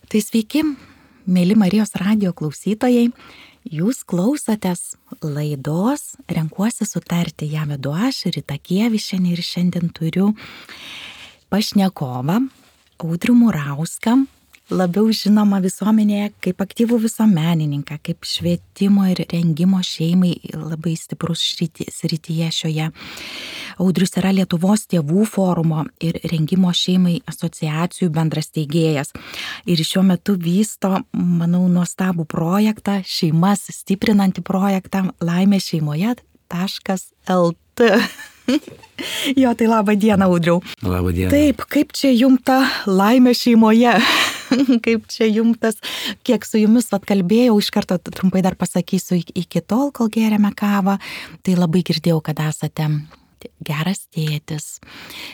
Tai sveiki, mėly Marijos radijo klausytojai. Jūs klausotės laidos Renkuosi sutarti. Ją vedu aš, Rita Kievišienė, ir šiandien turiu pašnekovą Audrių Murauską, labiau žinoma visuomenėje kaip aktyvų visuomenininką, kaip švietimo ir rengimo šeimai labai stiprus srityje šioje. Audrius yra Lietuvos tėvų forumo ir rengimo šeimai asociacijų bendras steigėjas. Ir šiuo metu vysto, manau, nuostabų projektą, šeimas stiprinantį projektą Laimė šeimoje.lt. Jo, tai labą dieną, Audriau. Labą dieną. Taip, kaip čia jums ta laimė šeimoje? Kaip čia jums tas, kiek su jumis atkalbėjau, iš karto trumpai dar pasakysiu, iki tol, kol gėrėme kavą, tai labai girdėjau, kad esate geras tėtis,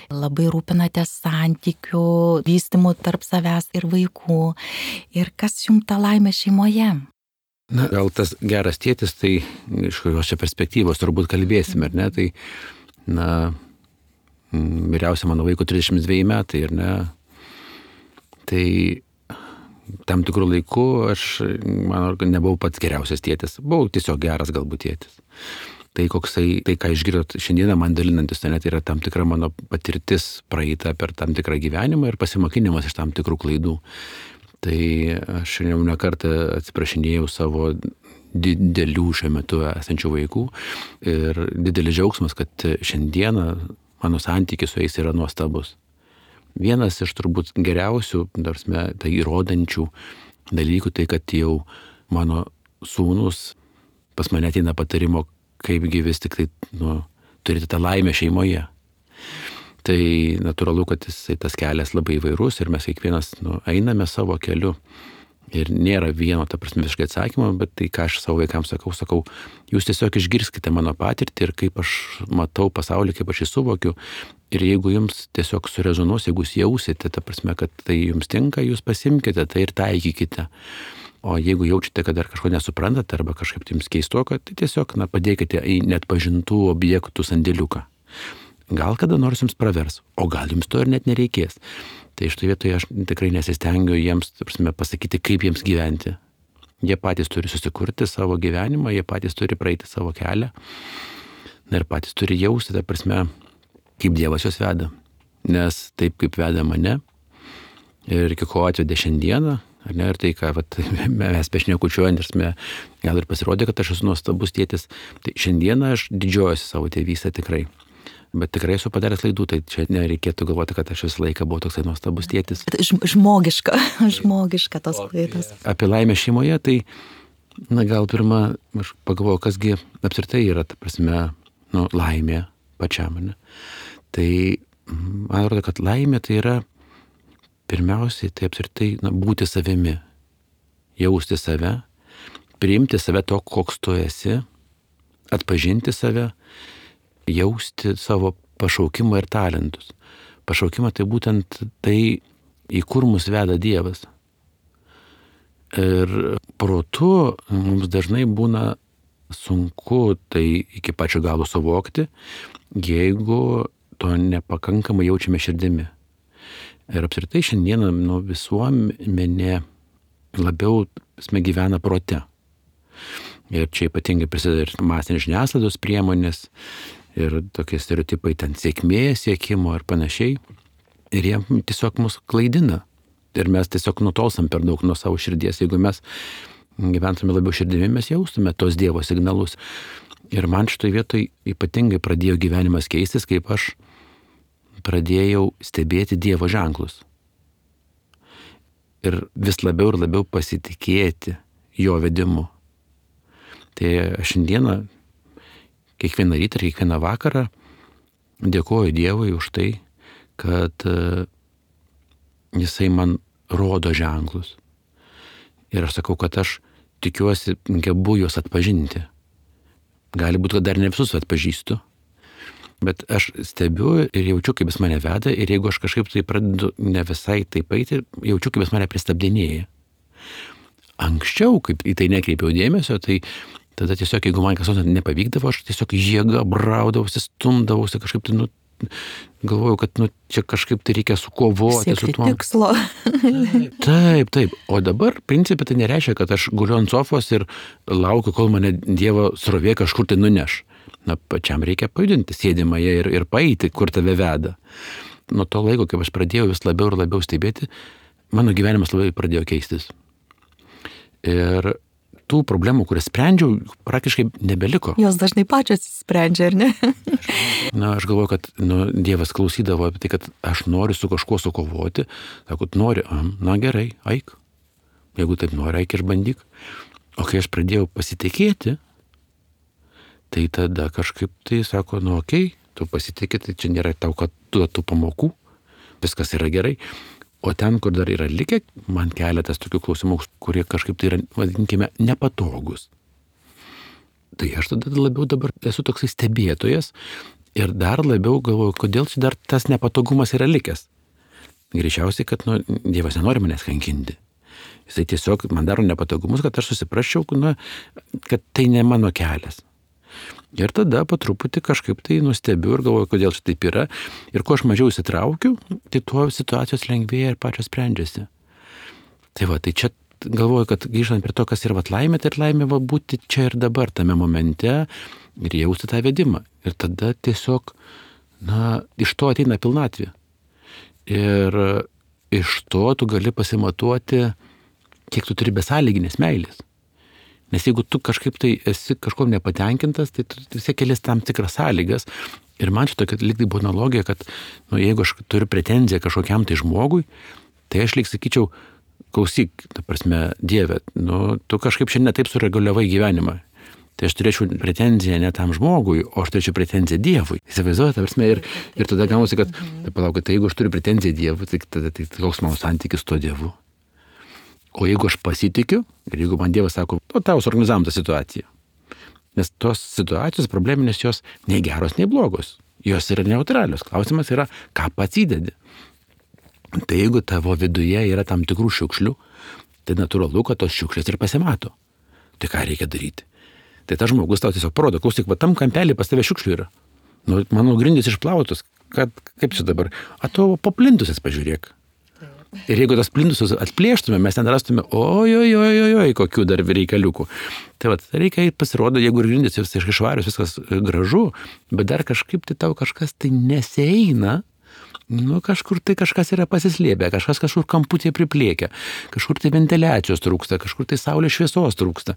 labai rūpinatės santykių, vystymų tarp savęs ir vaikų. Ir kas jums ta laimė šeimoje? Na, gal tas geras tėtis, tai iš kokios čia perspektyvos turbūt kalbėsime, ar ne? Tai, na, vyriausia mano vaiko 32 metai, ar ne? Tai tam tikrų laikų aš, manau, nebuvau pats geriausias tėtis, buvau tiesiog geras galbūt tėtis. Tai koksai, tai ką išgirdot šiandieną man dalinantis, tai yra tam tikra mano patirtis praeita per tam tikrą gyvenimą ir pasimokinimas iš tam tikrų klaidų. Tai aš jau ne kartą atsiprašinėjau savo didelių šiuo metu esančių vaikų ir didelis džiaugsmas, kad šiandieną mano santykis su jais yra nuostabus. Vienas iš turbūt geriausių, tai įrodančių dalykų, tai kad jau mano sūnus pas mane ateina patarimo, kaipgi vis tik tai, turėti tą laimę šeimoje. Tai natūralu, kad tas kelias labai įvairus ir mes kiekvienas einame savo keliu. Ir nėra vieno, visiškai atsakymo, bet tai, ką aš savo vaikams sakau, jūs tiesiog išgirskite mano patirtį ir kaip aš matau pasaulį, kaip aš jį suvokiu. Ir jeigu jums tiesiog surezonuos, jeigu jūs jausite, kad tai jums tinka, jūs pasimkite tai ir taikykite. O jeigu jaučiate, kad dar kažko nesuprantate arba kažkaip jums keistoka, tai tiesiog padėkite į neatpažintų objektų sandėliuką. Gal kada nors jums pravers, o gal jums to ir net nereikės. Tai iš to vietoje aš tikrai nesistengiu jiems pasakyti, kaip jiems gyventi. Jie patys turi susikurti savo gyvenimą, jie patys turi praeiti savo kelią ir patys turi jausti, kaip Dievas juos veda. Nes taip kaip veda mane ir iki ko atvedė šiandieną, ir tai, ką mes bešnekučiuojant, gal ir pasirodė, kad aš esu nuostabus tėtis, tai šiandieną aš didžiuojuosi savo tėvystę tikrai. Bet tikrai esu padaręs klaidų, tai čia nereikėtų galvoti, kad aš visą laiką buvau toksai nuostabus tėtis. Žmogiška tos klaidos. Apie laimę šeimoje, tai gal pirmą aš pagalvojau, kasgi apskritai yra, laimė pačiam. Ne? Tai man atrodo, kad laimė tai yra pirmiausiai tai apskritai būti savimi, jausti save, priimti save to, koks tu esi, atpažinti save, jausti savo pašaukimą ir talentus. Pašaukimą tai būtent tai, į kur mus veda Dievas. Ir protu mums dažnai būna sunku tai iki pačio galo suvokti, jeigu to nepakankamai jaučiame širdimi. Ir apskritai šiandieną visuomenė labiau gyvena prote. Ir čia ypatingai prisideda ir masinės žiniasklaidos priemonės, ir tokie stereotipai ten sėkmės siekimo ir panašiai. Ir jie tiesiog mus klaidina. Ir mes tiesiog nutolstam per daug nuo savo širdies. Jeigu mes gyventume labiau širdimi, mes jaustume tos Dievo signalus. Ir man šitoj vietoj ypatingai pradėjo gyvenimas keistis, kaip aš pradėjau stebėti Dievo ženklus. Ir vis labiau ir labiau pasitikėti jo vedimu. Tai aš šiandieną, kiekvieną rytą ir kiekvieną vakarą dėkoju Dievui už tai, kad jisai man rodo ženklus. Ir aš sakau, kad aš tikiuosi, gebu juos atpažinti. Gali būti, kad dar ne visus atpažįstu, bet aš stebiu ir jaučiu, kaip jis mane veda, ir jeigu aš kažkaip tai pradedu ne visai taip eiti, jaučiu, kaip jis mane pristabdinėja. Anksčiau, kaip į tai nekreipiau dėmesio, tai tada tiesiog, jeigu man kas nors nepavykdavo, aš tiesiog jėga braudavausi, stumdavausi, kažkaip tai galvoju, kad čia kažkaip tai reikia sukovoti Siekti su tuo. tikslo. Taip. O dabar, principai, tai nereiškia, kad aš guliu ant sofos ir laukiu, kol mane Dievo srovė kažkur tai nuneš. Pačiam reikia pajudinti sėdimąją ir paeiti, kur tave veda. Nuo to laiko, kaip aš pradėjau vis labiau ir labiau stebėti, mano gyvenimas labai pradėjo keistis. Ir tų problemų, kurias sprendžiau, praktiškai nebeliko. Jos dažnai pačios sprendžia, ar ne? Aš galvoju, kad Dievas klausydavo apie tai, kad aš noriu su kažkuo sukovoti. Sako, nori, gerai, eik. Jeigu taip nori, eik ir bandyk. O kai aš pradėjau pasitikėti, tai tada kažkaip tai sako, okei, tu pasitikė, tai čia nėra tau, kad tu tų pamokų, viskas yra gerai. O ten, kur dar yra likę, man keletas tokių klausimų, kurie kažkaip tai yra, vadinkime, nepatogus. Tai aš tada labiau dabar esu toksai stebėtojas ir dar labiau galvoju, kodėl čia dar tas nepatogumas yra likęs. Greičiausiai, kad Dievas nenori manęs kankinti. Jisai tiesiog man daro nepatogumus, kad aš susiprasčiau, kad tai ne mano kelias. Ir tada po truputį kažkaip tai nustebiu ir galvoju, kodėl čia taip yra. Ir kuo aš mažiau įsitraukiu, tai tuo situacijos lengvėja ir pačios sprendžiasi. Tai čia galvoju, kad grįžtant prie to, kas yra laimė, tai laimė būti čia ir dabar, tame momente ir jausti tą vedimą. Ir tada tiesiog, iš to ateina pilnatvė. Ir iš to tu gali pasimatuoti, kiek tu turi besąlyginės meilės. Nes jeigu tu kažkaip tai esi kažkuom nepatenkintas, tai tu vis kelias tam tikras sąlygas. Ir man čia tokia lyg tai buvo analogija, kad jeigu aš turiu pretenziją kažkokiam tai žmogui, tai aš lyg sakyčiau, klausyk, ta prasme, Dieve, tu kažkaip šiandien taip sureguliavai gyvenimą. Tai aš turėčiau pretenziją ne tam žmogui, o aš turėčiau pretenziją Dievui. Įsivaizduoju, ta prasme, ir tada gaunasi, kad, palauk, tai jeigu aš turiu pretenziją Dievui, tai tada koks mano santykis su tuo Dievu. O jeigu aš pasitikiu, ir jeigu man Dievas sako, tau suorganizavom tą situaciją. Nes tos situacijos probleminės jos nei geros, nei blogos. Jos yra neutralios. Klausimas yra, ką pats įdedi. Tai jeigu tavo viduje yra tam tikrų šiukšlių, tai natūralu, kad tos šiukšlės ir pasimato. Tai ką reikia daryti? Tai tas žmogus tau tiesiog parodo, klausyk, tam kampelį pas tave šiukšlių yra. Mano grindys išplautos, kaip čia dabar? Tu po plintusis pažiūrėk. Ir jeigu tas plintusus atplėštume, mes ten rastume, kokių dar reikaliukų. Tai reikia pasirodo, jeigu grindys visiškai švarius, viskas gražu, bet dar kažkaip tai tau kažkas tai nesieina, kažkur tai kažkas yra pasislėpę, kažkas kažkur kamputėje priplėkia, kažkur tai ventiliacijos trūksta, kažkur tai saulės šviesos trūksta.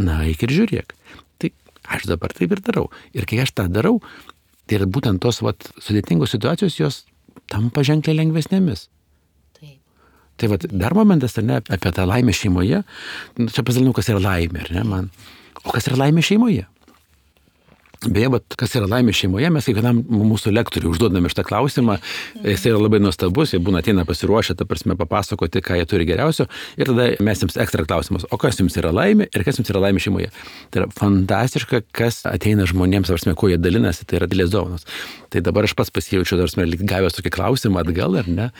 Eik ir žiūrėk. Tai aš dabar taip ir darau. Ir kai aš tą darau, tai būtent tos sudėtingos situacijos, jos tampa ženkliai lengvesnėmis. Tai dar momentas, ar ne, apie tą laimę šeimoje. Čia pasidalinau, kas yra laimė, ar ne, man. O kas yra laimė šeimoje? Beje, kas yra laimė šeimoje, mes kiekvienam mūsų lektoriui užduodame šitą klausimą. Jis yra labai nuostabus, jie ateina pasiruošę, ta prasme, papasakoti, ką jie turi geriausio. Ir tada mes jums ekstra klausimas, o kas jums yra laimė ir kas jums yra laimė šeimoje. Tai yra fantastiška, kas ateina žmonėms, ta prasme, kuo jie dalinasi, tai yra didelės dovanos. Tai dabar aš pats pasijaučiu, ta prasme, gavęs tokį klausimą atgal, ar ne?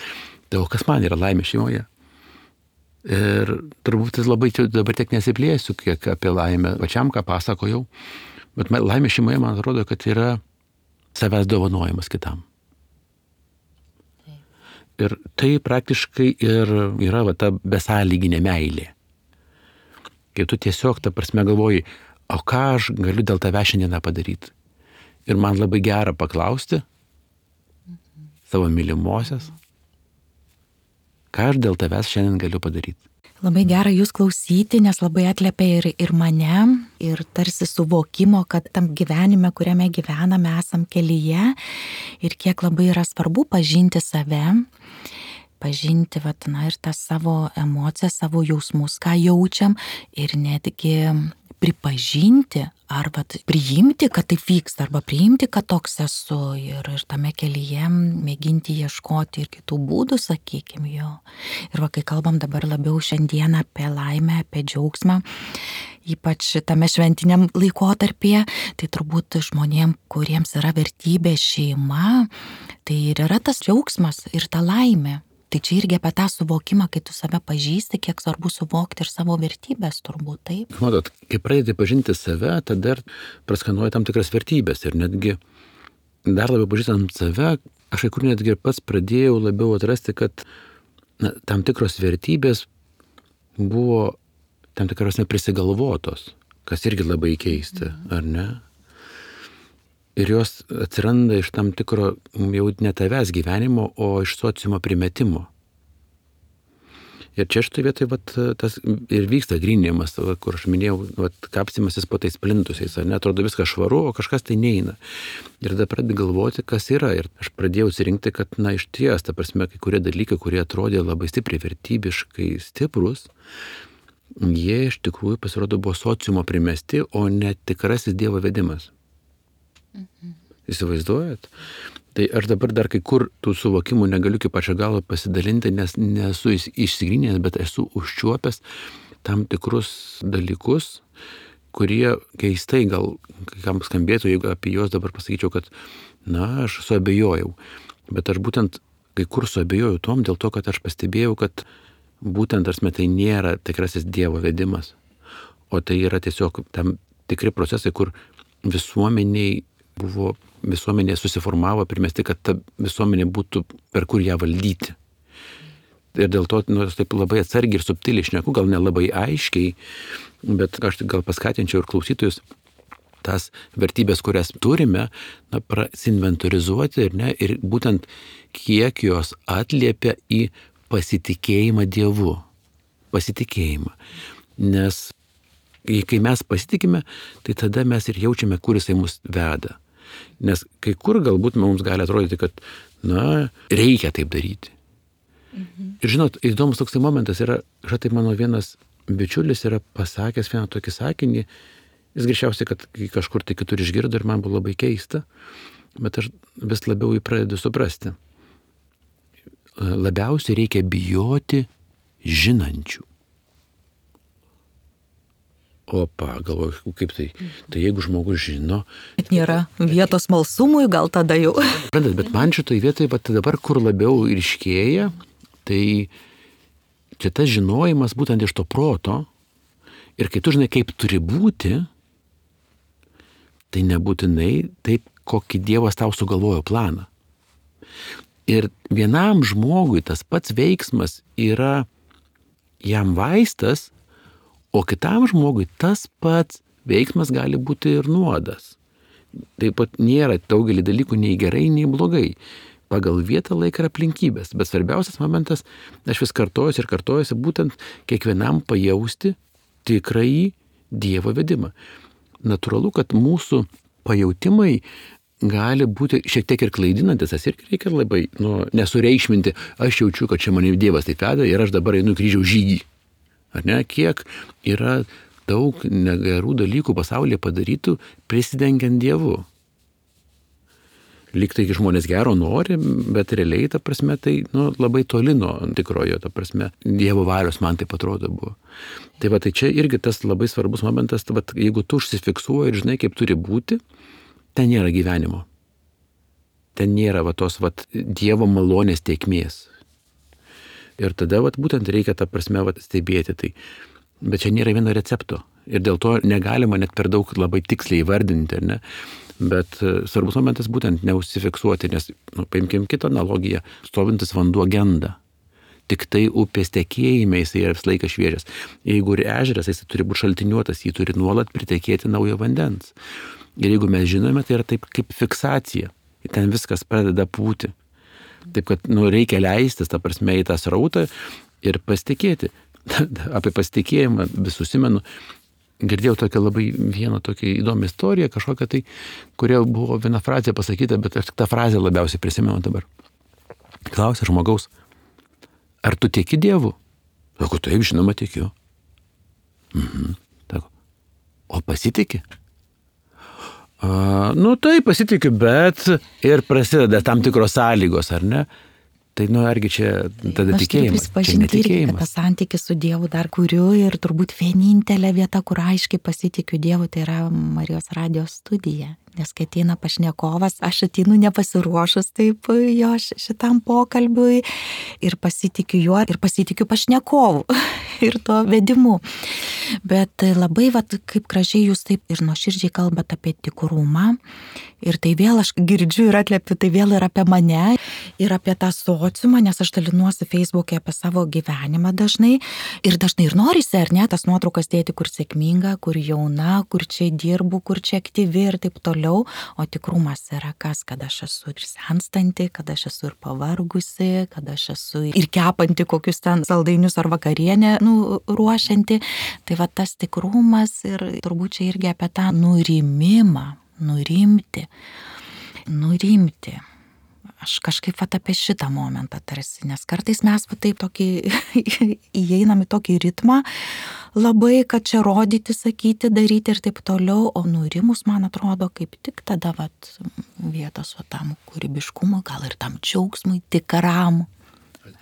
Tai o kas man yra laimė šeimoje? Ir turbūt labai dabar tiek nesiplėsiu, kiek apie laimę pačiam, ką pasakojau. Bet laimė šeimoje, man atrodo, kad yra savęs dovanojimas kitam. Ir tai praktiškai ir yra ta besąlyginė meilė. Kai tu tiesiog, ta prasme, galvoji, o ką aš galiu dėl tavęs šiandieną padaryti? Ir man labai gera paklausti savo mylimosios, ką aš dėl tavęs šiandien galiu padaryti. Labai gera jūs klausyti, nes labai atliepia ir mane, ir tarsi suvokimo, kad tam gyvenime, kuriame gyvename, esam kelyje ir kiek labai yra svarbu pažinti save, pažinti ir tas savo emocijas, savo jausmus, ką jaučiam ir netgi pripažinti ar priimti, kad taip vyksta, arba priimti, kad toks esu ir tame kelyje mėginti ieškoti ir kitų būdų, sakykime, jo. Ir kai kalbam dabar labiau šiandieną apie laimę, apie džiaugsmą, ypač tame šventiniam laikotarpyje, tai turbūt žmonėm, kuriems yra vertybė šeima, tai ir yra tas džiaugsmas ir ta laimė. Tai čia irgi apie tą suvokimą, kai tu save pažįsti, kiek svarbu suvokti ir savo vertybės, turbūt taip. Matot, kai pradedi pažinti save, tada ir praskanuoji tam tikras vertybės ir netgi dar labiau pažįstant save, aš kai kur netgi ir pats pradėjau labiau atrasti, kad tam tikros vertybės buvo tam tikros neprisigalvotos, kas irgi labai keista, ar ne? Ir jos atsiranda iš tam tikro jau ne tavęs gyvenimo, o iš sociumo primetimo. Ir čia štai vietoj tas ir vyksta gryninimas, kur aš minėjau, kapstymasis po tais plintusiais, ar ne, atrodo viskas švaru, o kažkas tai neina. Ir tada pradedi galvoti, kas yra. Ir aš pradėjau atsirinkti, kad, iš ties, ta prasme, kai kurie dalykai, kurie atrodė labai stipriai vertybiškai stiprus, jie iš tikrųjų pasirodo buvo sociumo primesti, o ne tikrasis Dievo vedimas. Įsivaizduojat? Tai aš dabar dar kai kur tų suvokimų negaliu kaip pačio galo pasidalinti, nes nesu išsigryninęs, bet esu užčiuopęs tam tikrus dalykus, kurie keistai gal kam skambėtų, jeigu apie juos dabar pasakyčiau, kad, aš suabejojau. Bet aš būtent kai kur suabejojau tom dėl to, kad aš pastebėjau, kad būtent tai nėra tikrasis Dievo vedimas, o tai yra tiesiog tam tikri procesai, kur visuomenė susiformavo, primesti, kad ta visuomenė būtų per kur ją valdyti. Ir dėl to, taip labai atsargiai ir subtiliai šneku, gal nelabai aiškiai, bet aš gal paskatinčiau ir klausytojus tas vertybės, kurias turime, prasinventorizuoti ir būtent kiek jos atliepia į pasitikėjimą Dievu. Pasitikėjimą. Nes kai mes pasitikime, tai tada mes ir jaučiame, kur jisai mus veda. Nes kai kur galbūt mums gali atrodyti, kad, reikia taip daryti. Ir žinot, įdomus toksai momentas yra, tai mano vienas bičiulis yra pasakęs vieną tokį sakinį, jis greičiausiai, kad kažkur tai kitur išgirdo ir man buvo labai keista, bet aš vis labiau jį pradedu suprasti. Labiausiai reikia bijoti žinančių. Opa, galvoju, kaip tai? Tai jeigu žmogus žino... Bet nėra vietos smalsumui, gal tada jau. Bet man šitoj vietoj, dabar kur labiau ryškėja, tai čia tas žinojimas būtent iš to proto, ir kai tu žinai, kaip turi būti, tai nebūtinai taip, kokį Dievas tau sugalvojo planą. Ir vienam žmogui tas pats veiksmas yra jam vaistas, o kitam žmogui tas pats veiksmas gali būti ir nuodas. Taip pat nėra daugelį dalykų nei gerai, nei blogai. Pagal vietą, laiką ir aplinkybės. Bet svarbiausias momentas, aš vis kartojuosi, būtent kiekvienam pajausti tikrąjį Dievo vedimą. Natūralu, kad mūsų pajautimai gali būti šiek tiek ir klaidinantis, tas irgi reikia labai nesureikšminti. Aš jaučiu, kad čia mane Dievas taip veda ir aš dabar einu kryžiaus žygį. Ar ne? Kiek yra daug negerų dalykų pasaulyje padarytų prisidengiant Dievu. Lyg tai žmonės gero nori, bet realiai, ta prasme, tai labai toli nuo tikrojo, ta prasme, Dievo valios man taip atrodo buvo. Tai čia irgi tas labai svarbus momentas, jeigu tu užsifiksuoji ir žinai, kaip turi būti, ten nėra gyvenimo. Ten nėra tos Dievo malonės tėkmės. Ir tada būtent reikia tą prasme stebėti tai. Bet čia nėra vieno recepto. Ir dėl to negalima net per daug labai tiksliai įvardinti, ar ne? Bet svarbus momentas būtent neužsifiksuoti, nes, paimkim kitą analogiją, stovintis vanduo genda. Tik tai upės tekėjime jisai yra visą laiką šviežias. Jeigu ir ežeras, jisai turi būti šaltiniuotas, jį turi nuolat pritekėti naujo vandens. Ir jeigu mes žinome, tai yra taip kaip fiksacija. Ir ten viskas pradeda pūti. Taip, kad reikia leistis, ta prasme, į tą srautą ir pasitikėti. Apie pasitikėjimą vis susimenu. Girdėjau tokią labai vieną tokią įdomią istoriją, kažkokią tai, kuria buvo viena frazė pasakyta, bet aš tik tą frazę labiausiai prisimenu dabar. Klausia žmogaus, ar tu tieki Dievu? Sako, taip, žinoma, tikiu. Sako, o pasitiki? Tai pasitikiu, bet ir prasideda tam tikros sąlygos, ar ne? Tai argi čia tada tikėjimas, čia netikėjimas. Aš turiu santykį su Dievu dar kuriu ir turbūt vienintelė vieta, kur aiškiai pasitikiu Dievu, tai yra Marijos radijos studija. Nes kai ateina pašnekovas, aš ateinu nepasiruošus taip jo šitam pokalbiui ir pasitikiu juo ir pasitikiu pašnekovu ir to vedimu. Bet labai, kaip gražiai jūs taip ir nuoširdžiai kalbat apie tikrumą Ir tai vėl aš girdžiu ir atliepiu, tai vėl ir apie mane, ir apie tą sociumą, nes aš dalinuosi Facebook'e apie savo gyvenimą dažnai. Ir dažnai ir norisi, ar ne, tas nuotraukas dėti, kur sėkminga, kur jauna, kur čia dirbu, kur čia aktyvi ir taip toliau. O tikrumas yra kas, kad aš esu ir senstanti, kad aš esu ir pavargusi, kad aš esu ir kepanti kokius ten saldainius ar vakarienę ruošianti. Tai va tas tikrumas ir turbūt čia irgi apie tą nurimimą. Nurimti. Aš kažkaip apie šitą momentą tarsi, nes kartais mes taip tokį įeinam į tokį ritmą labai, kad čia rodyti, sakyti, daryti ir taip toliau, o nurimus, man atrodo, kaip tik tada vietos tam kūrybiškumui, gal ir tam džiaugsmui tikram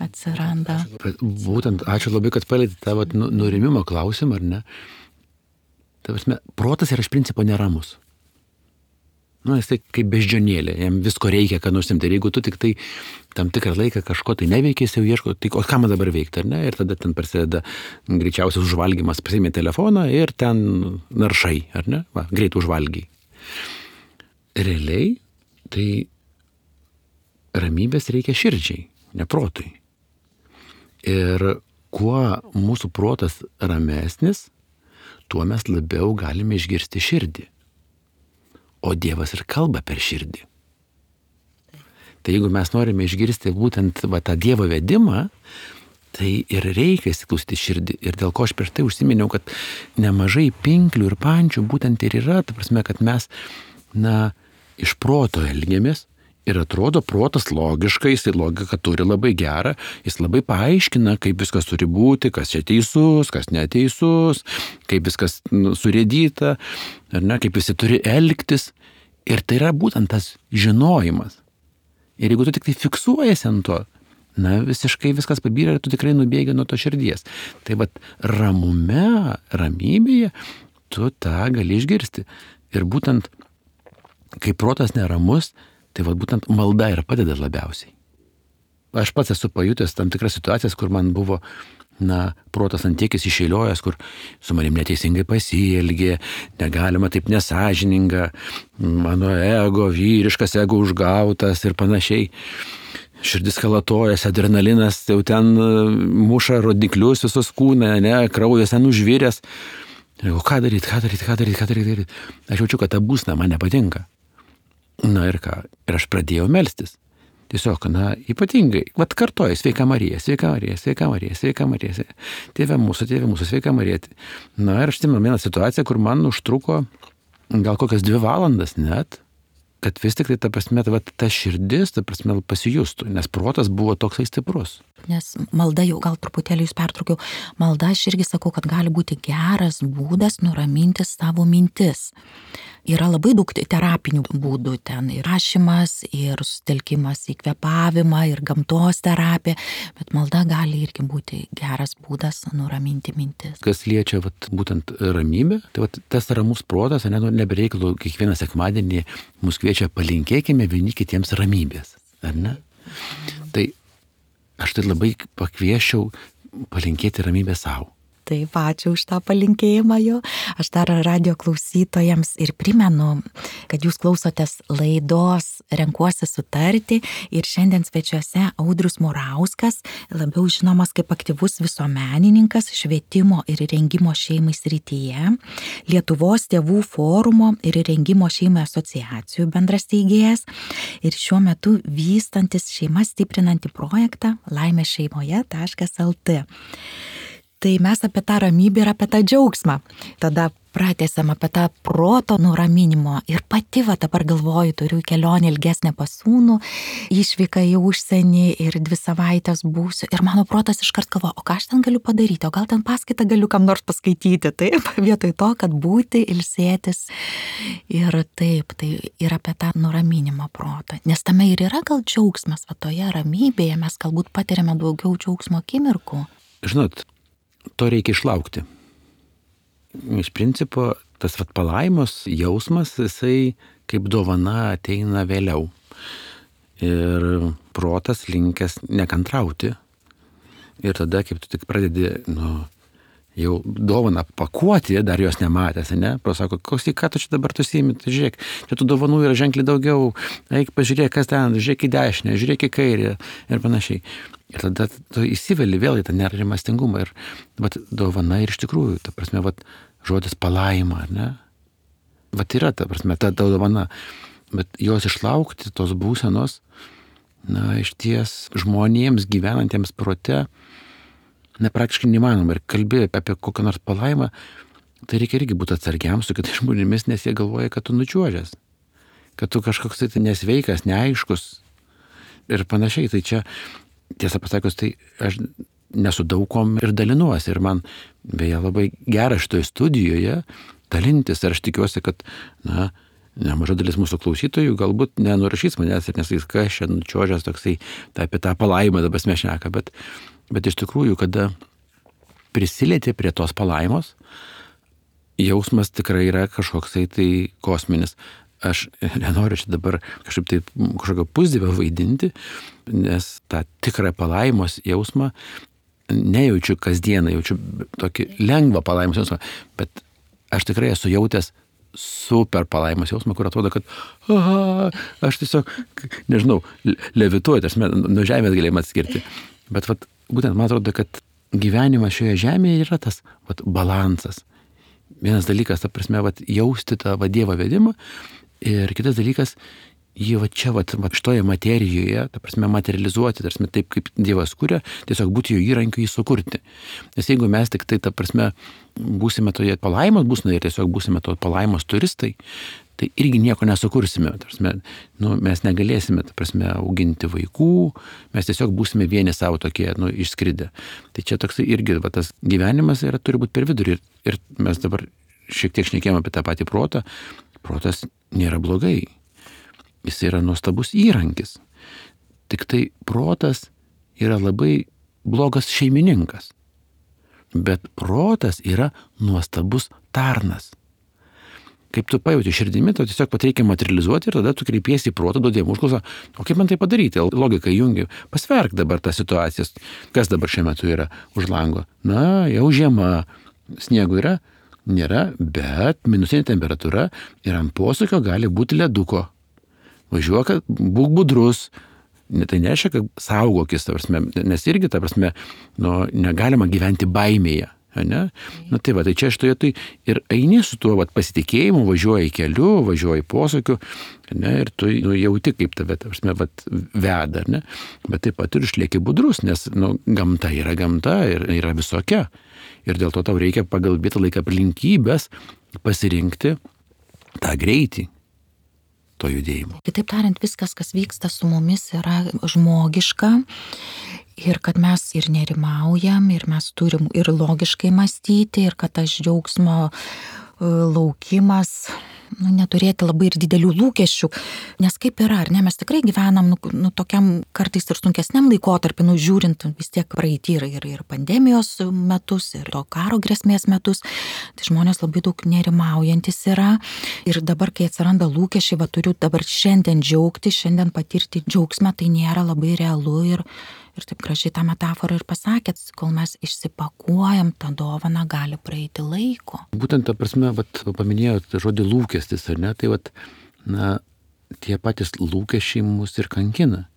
atsiranda. Būtent, ačiū labai, kad palietėte tą nurimimo klausimą, ar ne? Tai prasme, protas yra iš principo neramus. Jis tai kaip beždžionėlė, jam visko reikia, ką nusimti. Ir jeigu tu tik tai tam tikrą laiką kažko tai neveikėsi, jau ieško, tai o ką man dabar veikti, ar ne? Ir tada ten prasideda greičiausias užvalgymas, pasiėmė telefoną ir ten naršai, ar ne? Greit užvalgiai. Realiai, tai ramybės reikia širdžiai, ne protui. Ir kuo mūsų protas ramesnis, tuo mes labiau galime išgirsti širdį. O Dievas ir kalba per širdį. Tai jeigu mes norime išgirsti būtent tą Dievo vedimą, tai ir reikia įsiklausyti širdį. Ir dėl ko aš prieš tai užsiminiau, kad nemažai pinklių ir pančių būtent ir yra, ta prasme, kad mes, iš proto elgiamės ir atrodo protas logiškai, jis logiką turi labai gerą, jis labai paaiškina, kaip viskas turi būti, kas čia teisus, kas neteisus, kaip viskas surėdyta, ar ne, kaip visi turi elgtis. Ir tai yra būtent tas žinojimas. Ir jeigu tu tik tai fiksuojasi ant to, visiškai viskas pabyrė ir tu tikrai nubėgi nuo to širdies. Tai ramybėje tu tą gali išgirsti. Ir būtent, kai protas neramus, tai būtent malda ir padeda labiausiai. Aš pats esu pajutęs tam tikras situacijas, kur man buvo, protas ant tiekis išeiliojęs, kur su manim neteisingai pasielgė, negalima taip nesąžininga, mano ego, vyriškas ego užgautas ir panašiai. Širdis kalatojas, adrenalinas, jau ten muša rodiklius visus kūną, kraujas ten užviręs. O ką daryti? Aš jaučiu, kad ta būsena man nepatinka. Ir ką? Ir aš pradėjau melstis. Tiesiog, ypatingai, kartoju, sveika Marija, sveika Marija, sveika Marija, sveika Marija, Tėve mūsų, sveika Marija. Ir aš atsimenu vieną situaciją, kur man užtruko gal kokias 2 valandas net, kad vis tik tai ta širdis, pasijustų, nes protas buvo toksai stiprus. Nes malda jau, gal truputėlį jūs pertraukiau, malda aš irgi sakau, kad gali būti geras būdas nuraminti savo mintis. Yra labai daug terapinių būdų ten, ir rašymas, ir sutelkimas į kvėpavimą, ir gamtos terapija, bet malda gali irgi būti geras būdas nuraminti mintis. Kas liečia būtent ramybę, tai tas ramus protas, nebereikalo kiekvieną sekmadienį mus kviečia palinkėkime vieni kitiems ramybės, ar ne? Tai aš tai labai pakvieščiau palinkėti ramybę savo. Taip, ačiū už tą palinkėjimą jo. Aš dar radijo klausytojams ir primenu, kad jūs klausotės laidos Renkuosi sutarti ir šiandien svečiuose Audrius Murauskas, labiau žinomas kaip aktyvus visuomenininkas švietimo ir rengimo šeimai srityje, Lietuvos tėvų forumo ir rengimo šeimai asociacijų bendrasteigėjas ir šiuo metu vystantis šeimas stiprinantį projektą laimėšeimoje.lt. Tai mes apie tą ramybę ir apie tą džiaugsmą. Tada pratęsam apie tą proto nuraminimo. Ir pati dabar galvoju, turiu kelionę ilgesnę pas sūnų, išvyką į užsienį ir 2 savaitės būsiu. Ir mano protas iškart galvoja, o ką aš ten galiu padaryti, o gal ten paskaitą galiu kam nors paskaityti. Taip, vietoj to, kad būti, ilsėtis. Ir taip, tai ir apie tą nuraminimo protą. Nes tame ir yra gal džiaugsmas, toje ramybėje mes galbūt patiriame daugiau džiaugsmo akimirkų. Žinot, to reikia išlaukti. Iš principo, tas palaimos jausmas, jisai kaip dovana ateina vėliau. Ir protas linkęs nekantrauti. Ir tada, kaip tu tik pradedi jau dovaną pakuoti, dar jos nematęs, ne? Pasako, ką tu čia dabar tu siimi, tai žiūrėk, čia tų dovanų yra ženkliai daugiau, eik pažiūrėk, kas ten, žiūrėk į dešinę, žiūrėk į kairę ir panašiai. Ir tada tu įsiveli vėl į tą nerimastingumą ir vat, dovana ir iš tikrųjų, ta prasme, vat, žodis palaima, ar ne? Vat yra, ta prasme, ta dovana, bet jos išlaukti, tos būsenos, iš ties žmonėms gyvenantiems prote, praktiškai neįmanoma. Ir kalbėjai apie kokią nors palaimą, tai reikia irgi būti atsargiam su kitais žmonėmis, nes jie galvoja, kad tu nučiuožęs, kad tu kažkoks tai nesveikas, neaiškus ir panašiai. Tai čia, tiesą pasakius, tai aš nesu daugom ir dalinuosi. Ir man beje labai gera šitoje studijoje dalintis. Ir aš tikiuosi, kad, nemaža dalis mūsų klausytojų galbūt nenurašys manęs ir nesakys, kas čia nučiuožęs toksai, tai apie tą palaimą dabar mes šneka, bet iš tikrųjų, kada prisilieti prie tos palaimos, jausmas tikrai yra kažkoksai tai kosminis. Aš nenoriu čia dabar kažkokio pusdivio vaidinti, nes tą tikrą palaimos jausmą nejaučiu kasdieną, jaučiu tokį lengvą palaimos jausmą, bet aš tikrai esu jautęs super palaimos jausmą, kur atrodo, kad aš tiesiog, nežinau, levituoju, nuo žemės galėjom atskirti. Bet būtent man atrodo, kad gyvenimas šioje žemėje yra tas balansas. Vienas dalykas, ta prasme, jausti tą Dievo vedimą ir kitas dalykas, jį čia, šitoje materijoje, ta prasme, materializuoti, tarsi taip, kaip Dievas kuria, tiesiog būti jo įrankiu jį sukurti. Nes jeigu mes tik tai, ta prasme, būsime toje palaimos būsime ir tiesiog būsime to palaimos turistai, tai irgi nieko nesukursime. Prasme, mes negalėsime, ta prasme, auginti vaikų, mes tiesiog būsime vieni savo tokie, išskridę. Tai čia toksai irgi, tas gyvenimas turi būti per vidurį. Ir mes dabar šiek tiek šnekėjome apie tą patį protą. Protas nėra blogai. Jis yra nuostabus įrankis. Tik tai protas yra labai blogas šeimininkas. Bet protas yra nuostabus tarnas. Kaip tu pajauti širdimi, tu tiesiog reikia materializuoti ir tada tu kreipiesi į protą, duodi jam užklausą, o kaip man tai padaryti? Logika jungi, pasverk dabar tą situaciją. Kas dabar šiuo metu yra už lango? Jau žiema, sniego yra, nėra, bet minusinė temperatūra ir ant posūkio gali būti leduko. Važiuok, būk budrus. Tai nereiškia, kad saugokis, nes irgi, negalima gyventi baimėje. Ne? Tai čia šitoje ir eini su tuo pasitikėjimu, važiuoji keliu, važiuoji posūkiu, ir tu jauti, kaip tave veda, ne? Bet taip pat ir išlieki budrus, nes gamta yra gamta ir yra visokia. Ir dėl to tau reikia pagal vietą laiką aplinkybės pasirinkti tą greitį to judėjimo. Kitaip tariant, viskas, kas vyksta su mumis, yra žmogiška. Ir kad mes ir nerimaujam, ir mes turim ir logiškai mąstyti, ir kad tas džiaugsmo laukimas, neturėti labai ir didelių lūkesčių. Nes kaip yra, ar ne, mes tikrai gyvenam tokiam kartais ir sunkesniam laikotarpį, žiūrint vis tiek praeitį ir pandemijos metus, ir to karo grėsmės metus. Tai žmonės labai daug nerimaujantis yra. Ir dabar, kai atsiranda lūkesčiai, turiu dabar šiandien džiaugti, šiandien patirti džiaugsmą, tai nėra labai realu ir taip gražiai tą metaforą ir pasakėt, kol mes išsipakuojam, tą dovaną gali praeiti laiko. Būtent ta prasme, paminėjot žodį lūkestis, ar ne? Tai tie patys lūkesčiai mus ir kankina.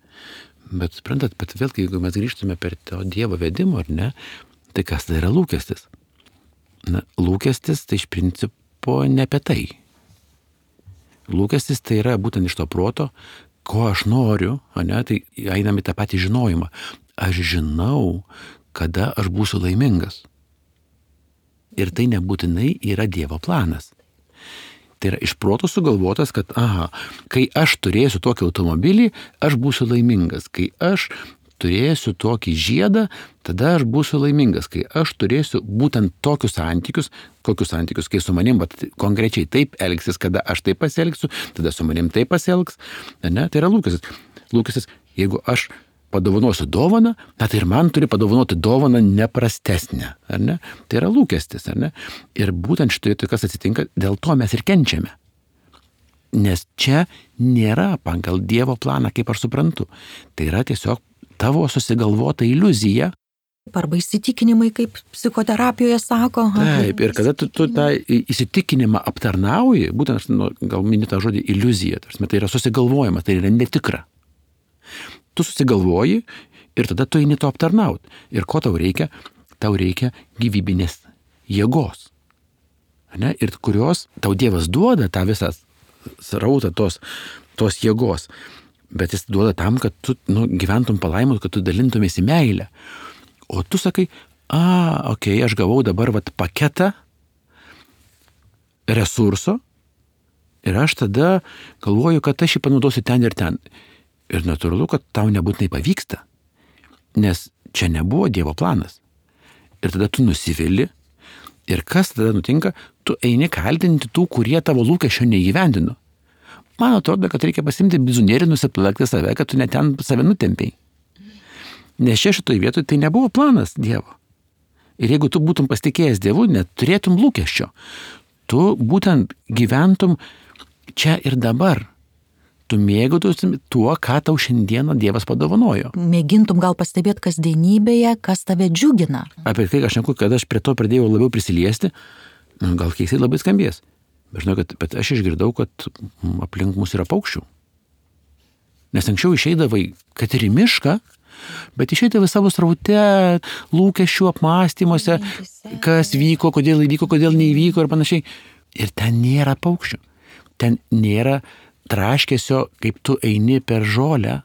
Bet suprantat, bet vėlgi, jeigu mes grįžtume per to Dievo vedimo, ar ne, tai kas tai yra lūkestis? Lūkestis tai iš principo ne apie tai. Lūkestis tai yra būtent iš to proto, ko aš noriu, tai einam į tą patį žinojimą. Aš žinau, kada aš būsiu laimingas. Ir tai nebūtinai yra Dievo planas. Tai yra iš proto sugalvotas, kad kai aš turėsiu tokį automobilį, aš būsiu laimingas. Kai aš turėsiu tokį žiedą, tada aš būsiu laimingas. Kai aš turėsiu būtent tokius santykius, kai su manim konkrečiai taip elgsis, kada aš taip pasielgsiu, tada su manim taip pasielgs. Ne? Tai yra lūkestis. Lūkestis, jeigu aš padovanosiu dovaną, tai ir man turi padovanoti dovaną neprastesnę. Ar ne? Tai yra lūkestis. Ar ne? Ir būtent šitoje kas atsitinka, dėl to mes ir kenčiame. Nes čia nėra pagal Dievo planą, kaip aš suprantu. Tai yra tiesiog tavo susigalvota iliuzija, Arba įsitikinimai, kaip psichoterapijoje sako. Taip, ir kada tu tą įsitikinimą aptarnauji, būtent, gal mini tą žodį iliuzija, tai yra susigalvojimas, tai yra netikra. Tu susigalvoji ir tada tu eini to aptarnaut. Ir ko tau reikia? Tau reikia gyvybinės jėgos. Ne? Ir kurios tau Dievas duoda tą visą srautą tos jėgos. Bet jis duoda tam, kad tu gyventum palaimus, kad tu dalintumėsi meilę. O tu sakai, okei, aš gavau dabar paketą resurso ir aš tada galvoju, kad aš jį panaudosiu ten ir ten. Ir natūralu, kad tau nebūtinai pavyksta, nes čia nebuvo Dievo planas. Ir tada tu nusivili ir kas tada nutinka, tu eini kaltinti tų, kurie tavo lūkesčio neįgyvendino. Man atrodo, kad reikia pasimti bizunėrį, nusiplakti save, kad tu net ten save nutempiai. Nes čia šitoj vietoj tai nebuvo planas Dievo. Ir jeigu tu būtum pasitikėjęs Dievu, neturėtum lūkesčio. Tu būtent gyventum čia ir dabar. Tu mėgautum tuo, ką tau šiandieną Dievas padovanojo. Mėgintum gal pastebėti kasdienybėje, kas tave džiugina. Apie tai aš neku, kad aš prie to pradėjau labiau prisiliesti, gal keistai labai skambės. Bet aš išgirdau, kad aplink mus yra paukščių. Nes anksčiau išeidavai, kad ir į mišką, bet išeidavai savo sraute, lūkesčių apmąstymuose, kas vyko, kodėl įvyko, kodėl neįvyko ir panašiai. Ir ten nėra paukščių. Ten nėra traškesio, kaip tu eini per žolę.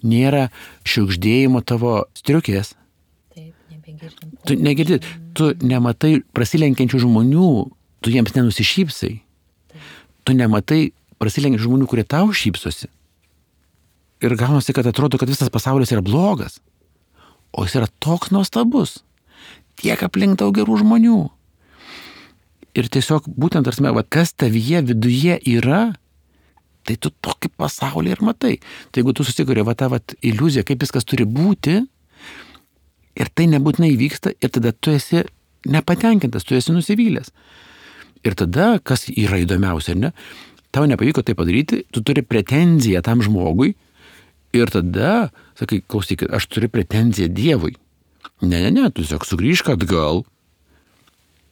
Nėra šiugždėjimo tavo striukės. Tu negirdi, tu nematai prasilenkiančių žmonių, tu jiems nenusišypsai. Tu nematai prasilenkiančių žmonių, kurie tau šypsosi. Ir gaunasi, kad atrodo, kad visas pasaulis yra blogas. O jis yra toks nuostabus. Tiek aplink daug gerų žmonių. Ir tiesiog būtent, kas tavyje viduje yra, tai tu tokį pasaulį ir matai. Tai jeigu tu susikuri tą iliuziją, kaip viskas turi būti, ir tai nebūtinai vyksta, ir tada tu esi nepatenkintas, tu esi nusivylęs. Ir tada, kas yra įdomiausia, ne? Tau nepavyko tai padaryti, tu turi pretenziją tam žmogui, ir tada, sakai, klausykit, aš turiu pretenziją Dievui. Ne, tu tiesiog sugrįžk atgal,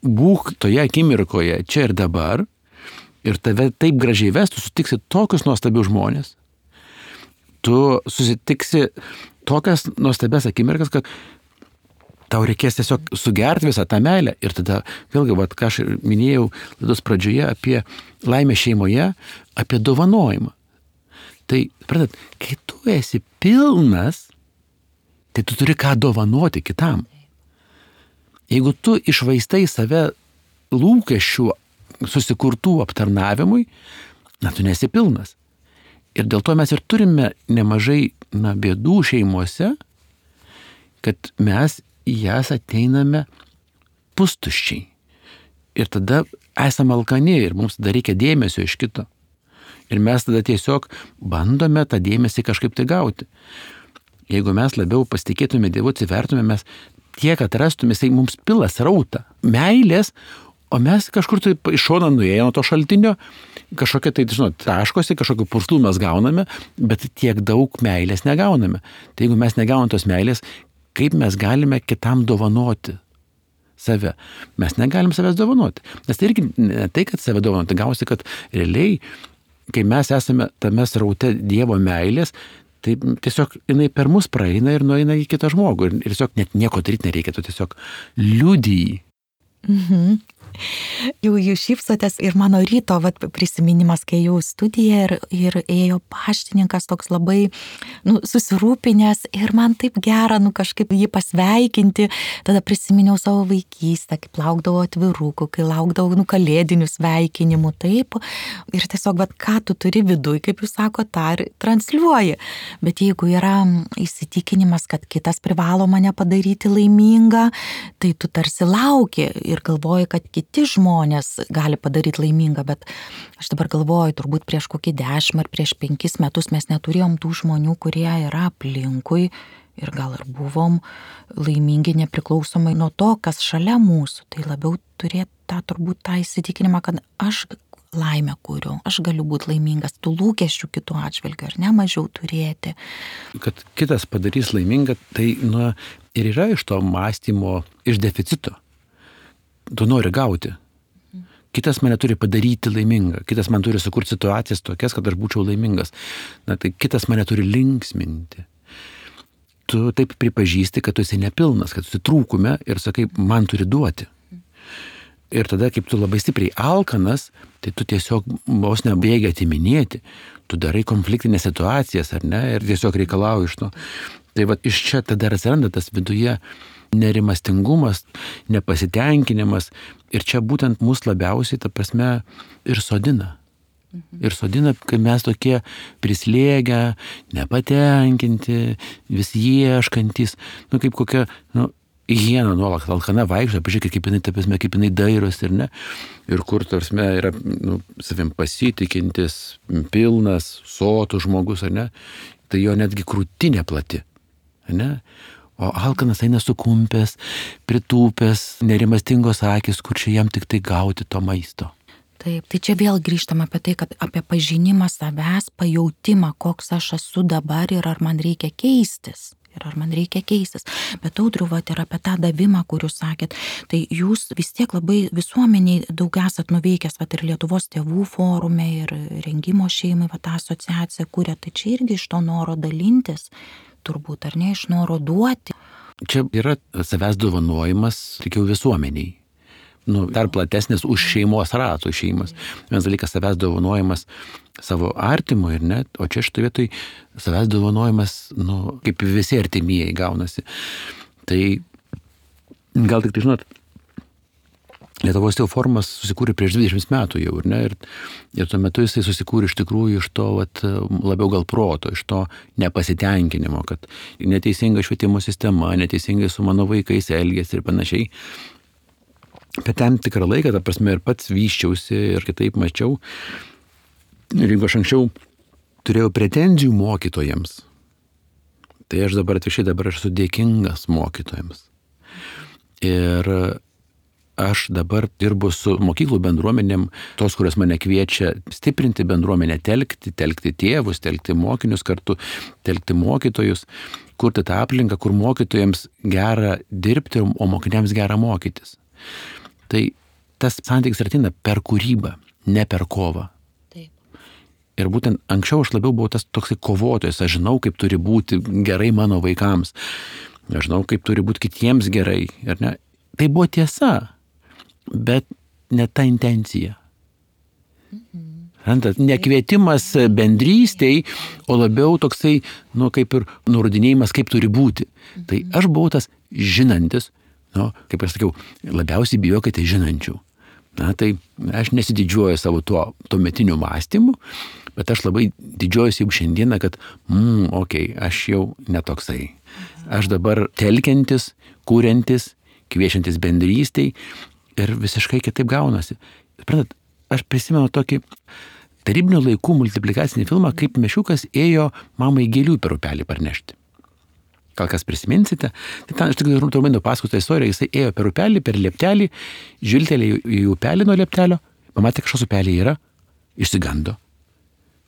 būk toje akimirkoje, čia ir dabar, ir tave taip gražiai ves, tu sutiksi tokius nuostabius žmonės, tu susitiksi tokias nuostabias akimirkas, kad tau reikės tiesiog sugerti visą tą meilę. Ir tada, vėlgi, ką aš minėjau laidos pradžioje apie laimę šeimoje, apie dovanojimą. Tai, pradat, kai tu esi pilnas, tai tu turi ką dovanoti kitam. Jeigu tu išvaistai save lūkesčių susikurtų aptarnavimui, tu nesi pilnas. Ir dėl to mes ir turime nemažai bėdų šeimuose, kad mes į jas ateiname pustuščiai. Ir tada esame alkani ir mums tada reikia dėmesio iš kito. Ir mes tada tiesiog bandome tą dėmesį kažkaip tai gauti. Jeigu mes labiau pasitikėtume Dievu, atsivertume, mes tiek atrastume, jisai mums pila srautą meilės, o mes kažkur tai iš šono nuėję nuo to šaltinio, kažkokia tai, taškosi, kažkokių purslų mes gauname, bet tiek daug meilės negauname. Tai jeigu mes negauname tos meilės, kaip mes galime kitam dovanoti save? Mes negalim savęs dovanoti. Nes tai irgi ne tai, kad save dovanoti, gausi, kad realiai, kai mes esame tame sraute Dievo meilės, tai tiesiog jinai per mus praeina ir nueina į kitą žmogų. Ir tiesiog net nieko daryti nereikia, tu tiesiog liudiji. Jau jūs šypsotės ir mano ryto prisiminimas, kai jau studija ir ėjo paštininkas toks labai susirūpinęs ir man taip gera kažkaip jį pasveikinti. Tada prisiminiau savo vaikystę, kaip laukdavau atvirukų, kai laukdavau kalėdinių sveikinimų, taip. Ir tiesiog, ką tu turi viduj, kaip jūs sako, tą ir transliuoji. Bet jeigu yra įsitikinimas, kad kitas privalo mane padaryti laimingą, tai tu tarsi lauki ir galvoji, kad kiti žmonės gali padaryti laimingą, bet aš dabar galvoju, turbūt prieš kokį 10 ar prieš 5 metus mes neturėjom tų žmonių, kurie yra aplinkui ir gal ir buvom laimingi nepriklausomai nuo to, kas šalia mūsų. Tai labiau turėti turbūt tą įsitikinimą, kad aš laimę kuriu, aš galiu būti laimingas, tų lūkesčių kitų atžvilgių, ar ne, mažiau turėti. Kad kitas padarys laimingą, tai Ir yra iš to mąstymo, iš deficito. Tu nori gauti. Kitas mane turi padaryti laimingą. Kitas man turi sukurti situacijas tokias, kad aš būčiau laimingas. Na, tai kitas mane turi linksminti. Tu taip pripažįsti, kad tu esi nepilnas, kad tu esi trūkume ir sakai, man turi duoti. Ir tada, kaip tu labai stipriai alkanas, tai tu tiesiog vos nebėgi atiminėti. Tu darai konfliktinės situacijas, ar ne? Ir tiesiog reikalauji iš to. Tai va iš čia tada atsiranda tas viduje nerimastingumas, nepasitenkinimas. Ir čia būtent mus labiausiai, ta prasme, ir sodina. Ir sodina, kai mes tokie prislėgę, nepatenkinti, vis ieškantys, kaip kokia, hiena nuolat alkana vaikšto, pažiūrėkit, kaip jinai dairosi ir ne. Ir kur, tarsme, yra savim pasitikintis, pilnas, sotus žmogus, ar ne. Tai jo netgi krūtinė plati, ar ne. O alkanas eina sukumpęs, pritūpęs, nerimastingos akis, kur čia jam tik tai gauti to maisto. Taip, tai čia vėl grįžtam apie tai, kad apie pažinimą savęs, pajautimą, koks aš esu dabar ir ar man reikia keistis. Bet Audriau, ir apie tą davimą, kur jūs sakėt, tai jūs vis tiek labai visuomeniai daug esat nuveikęs, ir Lietuvos tėvų forume, ir rengimo šeimai, tą asociaciją kūrė, tai čia irgi iš to noro dalintis, turbūt, ar ne, iš noro duoti. Čia yra savęs dovanojimas, tikiu, visuomeniai. Dar platesnis už šeimos ratų šeimas. Vienas dalykas savęs dovanojimas savo artimui ir net, o čia šitoj vietoj savęs dovanojimas, kaip visi artimieji gaunasi. Tai gal tik tai žinot, Lietuvos tėvų forumas susikūrė prieš 20 metų jau, ir tuo metu jisai susikūrė iš tikrųjų iš to labiau gal proto, iš to nepasitenkinimo, kad neteisinga švietimo sistema, neteisingai su mano vaikais elgėsi ir panašiai. Bet tam tikrą laiką, ta prasme, ir pats vyščiausi ir kitaip mačiau. Ir jeigu aš anksčiau turėjau pretenzijų mokytojams, tai aš dabar esu dėkingas mokytojams. Ir aš dabar dirbu su mokyklų bendruomenėm, tos, kurios mane kviečia stiprinti bendruomenę, telkti tėvus, telkti mokinius kartu, telkti mokytojus, kurti tą aplinką, kur mokytojams gera dirbti, o mokiniams gera mokytis. Tai tas santykis ateina per kūrybą, ne per kovą. Taip. Ir būtent anksčiau aš labiau buvau tas toksai kovotojas, aš žinau, kaip turi būti gerai mano vaikams, aš žinau, kaip turi būti kitiems gerai, ar ne? Tai buvo tiesa, bet ne ta intencija. Nekvietimas bendrystei, o labiau toksai, kaip ir nurodinėjimas, kaip turi būti. Tai aš buvau tas žinantis, kaip aš sakiau, labiausiai bijokite žinančių. Tai aš nesididžiuoju savo tuometiniu mąstymu, bet aš labai didžiuojuosi jau šiandieną, kad, aš jau netoksai. Aš dabar telkiantis, kūriantis, kviečiantis bendrystei ir visiškai kitaip gaunasi. Aš prisimenu tokį tarybinių laikų multiplikacinį filmą, kaip mešiukas ėjo mamai gėlių per upelį parnešti. Gal kas prisiminsite, tai ten aš tik trumpai nupasakosiu tą istoriją, jisai ėjo per upelį, per lieptelį, žvilgtelėjo į upelį nuo lieptelio, pamatė, kažkas upelį yra, išsigando.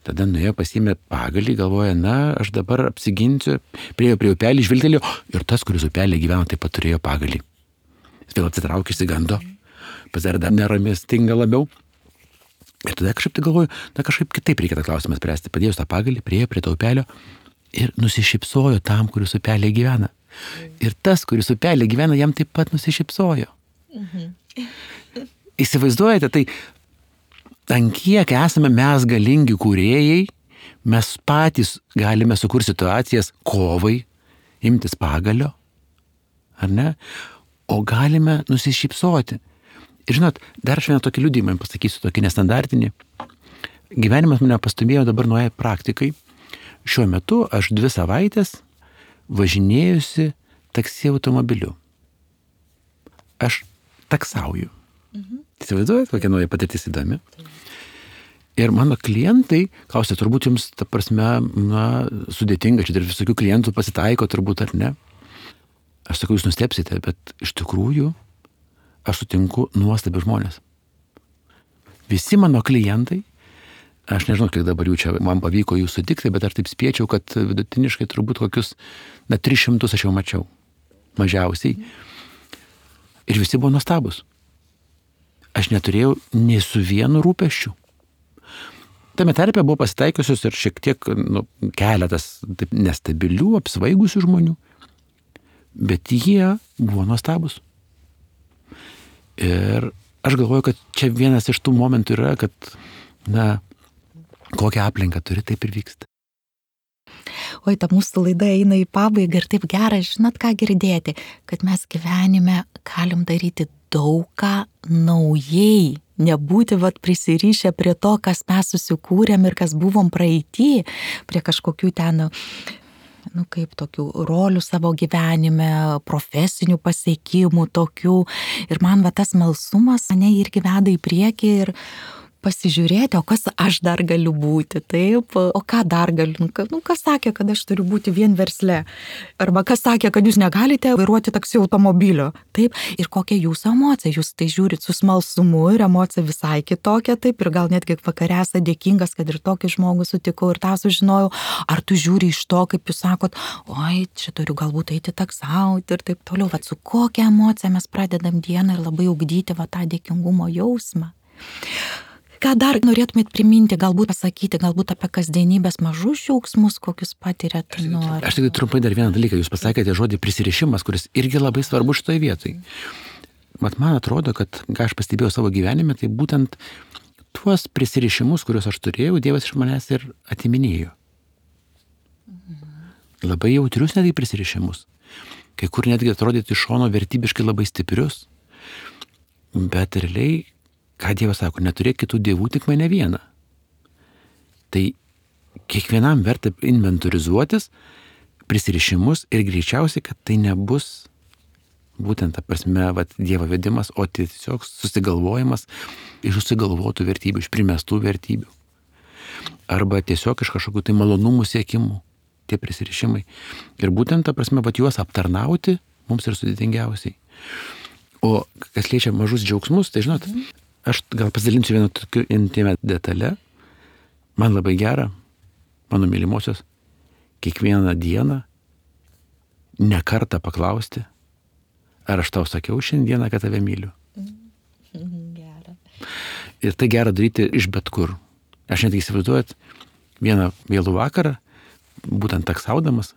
Tada nuėjo, pasiėmė pagalį, galvoja, aš dabar apsiginsiu, priėjo prie upelį, žvilgtelėjo, ir tas, kuris upelį gyveno, taip pat turėjo pagalį. Jis vėl atsitraukė, išsigando, pasidarė dar neramistinga labiau. Ir tada kažkaip tai galvoju, kažkaip kitaip reikia tą klausimą spręsti. Padėjus tą pagalį, priėjo prie to upelio ir nusišypsojo tam, kuris upelėje gyvena. Ir tas, kuris upelėje gyvena, jam taip pat nusišypsojo. Įsivaizduojate, tai ant kiek esame mes galingi kūrėjai, mes patys galime sukurti situacijas kovai, imtis pagalio, ar ne? O galime nusišypsoti. Ir žinot, dar aš vieną tokį liudijimą pasakysiu, tokį nestandartinį. Gyvenimas mane pastumėjo dabar nuoja praktikai. Šiuo metu aš 2 savaitės važinėjusi taksi automobiliu. Aš taksauju. Įsivaizduojat, kokia nauja patirtis įdomi. Ir mano klientai, klausia, turbūt jums, ta prasme, sudėtinga, čia ir visokių klientų pasitaiko, turbūt ar ne. Aš sakau, jūs nustepsite, bet iš tikrųjų aš sutinku nuostabių žmonės. Visi mano klientai, aš nežinau, kiek dabar jų čia man pavyko jų sutikti, bet aš taip spėčiau, kad vidutiniškai turbūt kokius 300 aš jau mačiau. mažiausiai. Ir visi buvo nuostabus. Aš neturėjau nei su vienu rūpesčiu. Tame tarpe buvo pasitaikiusios ir šiek tiek keletas taip, nestabilių, apsvaigusių žmonių. Bet jie buvo nuostabus. Ir aš galvoju, kad čia vienas iš tų momentų yra, kad, kokią aplinką turi, taip ir vyksta. Oi, ta mūsų laida eina į pabaigą ir taip gera, žinot ką girdėti, kad mes gyvenime galim daryti daug ką naujai, nebūti prisirišę prie to, kas mes susikūrėm ir kas buvom praeity, prie kažkokių ten, kaip tokių rolių savo gyvenime, profesinių pasiekimų tokių. Ir man tas smalsumas mane irgi veda į priekį ir pasižiūrėti, o kas aš dar galiu būti, taip, o ką dar galiu, kas sakė, kad aš turiu būti vien versle, arba kas sakė, kad jūs negalite vairuoti taksi automobilio, taip, ir kokia jūsų emocija, jūs tai žiūrit su smalsumu ir emocija visai kitokia, taip, ir gal netgi vakare esate dėkingas, kad ir tokį žmogų sutikau ir tą sužinojau, ar tu žiūri iš to, kaip jūs sakot, oi, čia turiu galbūt eiti taksauti ir taip toliau, su kokia emocija mes pradedam dieną ir labai ugdyti tą dėkingumo jausmą. Ką dar norėtumėt priminti, galbūt pasakyti, galbūt apie kasdienybės mažus džiaugsmus, kokius patirėt? Aš tik trumpai dar vieną dalyką, jūs pasakėte žodį prisirišimas, kuris irgi labai svarbu šitoje vietoje. Man atrodo, kad ką aš pastebėjau savo gyvenime, tai būtent tuos prisirišimus, kuriuos aš turėjau, Dievas iš manęs ir atiminėjo. Labai jautrius netgi prisirišimus. Kai kur netgi atrodyti iš šono vertybiškai labai stiprius. Bet realiai, ką Dievas sako, neturėk kitų dievų, tik mane vieną. Tai kiekvienam verta inventorizuotis prisirišimus ir greičiausiai, kad tai nebus būtent ta prasme Dievo vedimas, o tiesiog susigalvojimas iš susigalvotų vertybių, iš primestų vertybių. Arba tiesiog iš kažkokių tai malonumų siekimų, tie prisirišimai. Ir būtent ta prasme, juos aptarnauti mums ir sudėtingiausiai. O kas liečia mažus džiaugsmus, tai žinot, aš gal pasidalinsiu vieną tokiu intimę detalę. Man labai gera, mano mylimosios, kiekvieną dieną ne kartą paklausti, ar aš tau sakiau šiandieną, kad tave myliu. Gera. Ir tai gera daryti iš bet kur. Aš netgi įsivaizduojat, vieną vėlų vakarą, būtent taksaudamas,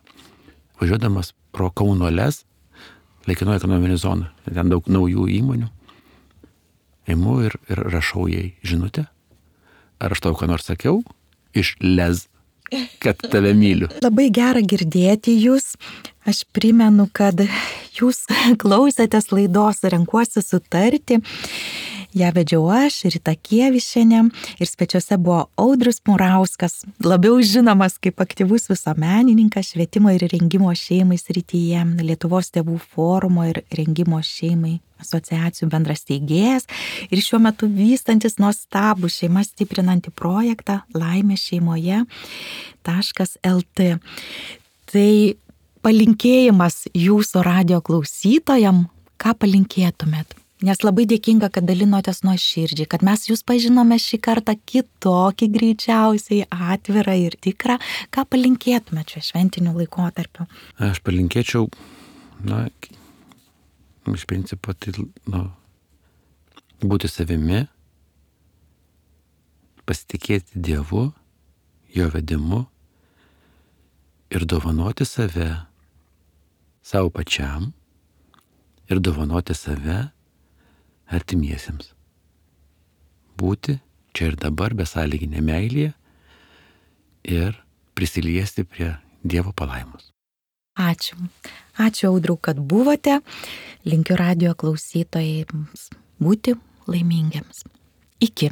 važiuodamas pro Kauno LES, laikinoji ekonominė zona, ten daug naujų įmonių, imu ir rašau jai žinutę, ar aš tau ką nors sakiau iš LES, kad tave myliu. Labai gera girdėti jūs. Aš primenu, kad jūs klausėtės laidos Renkuosi sutarti. Ja vedžiau aš, Rita Kievišienė, ir svečiuose buvo Audrius Murauskas, labiau žinomas kaip aktyvus visuomenininkas švietimo ir rengimo šeimai srityje, Lietuvos tėvų forumo ir rengimo šeimai asociacijų bendras steigėjas ir šiuo metu vystantis nuostabų šeimas stiprinantį projektą Laimė šeimoje.lt. Tai palinkėjimas jūsų radijo klausytojam, ką palinkėtumėt? Nes labai dėkinga, kad dalinotės nuoširdžiai, kad mes jūs pažinome šį kartą kitokį, greičiausiai atvirą ir tikrą. Ką palinkėtumėt šiuo šventiniu laikotarpiu? Aš palinkėčiau, iš principo, tai, būti savimi, pasitikėti Dievu, jo vedimu ir dovanoti save savo pačiam ir dovanoti save artimiesiems. Būti čia ir dabar besąlyginė meilėje ir prisiliesti prie Dievo palaimos. Ačiū. Ačiū, Audriau, kad buvote. Linkiu radijo klausytojams būti laimingiams. Iki.